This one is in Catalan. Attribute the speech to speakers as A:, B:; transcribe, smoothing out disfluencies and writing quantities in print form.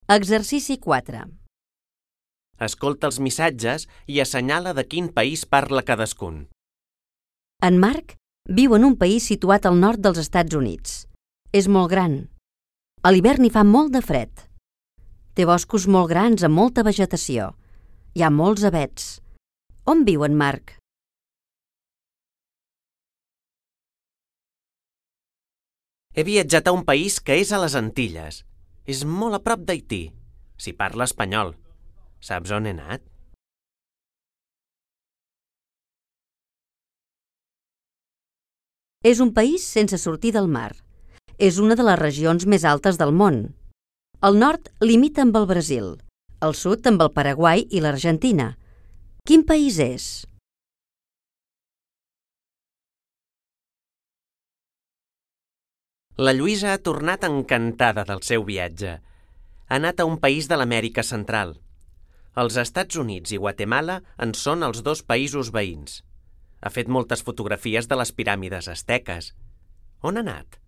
A: Exercici 4.
B: Escolta els missatges i assenyala de quin país parla cadascun.
A: En Marc viu en un país situat al nord dels Estats Units. És molt gran. A l'hivern hi fa molt de fred. Té boscos molt grans amb molta vegetació. Hi ha molts avets. On viu en Marc?
B: He viatjat a un país que és a les Antilles. És molt a prop d'Haití. S'hi parla espanyol. Saps on he anat?
A: És un país sense sortir del mar. És una de les regions més altes del món. Al nord limita amb el Brasil, al sud amb el Paraguai i l'Argentina. Quin país és?
B: La Lluïsa ha tornat encantada del seu viatge. Ha anat a un país de l'Amèrica Central. Els Estats Units i Guatemala en són els dos països veïns. Ha fet moltes fotografies de les piràmides asteques. On ha anat?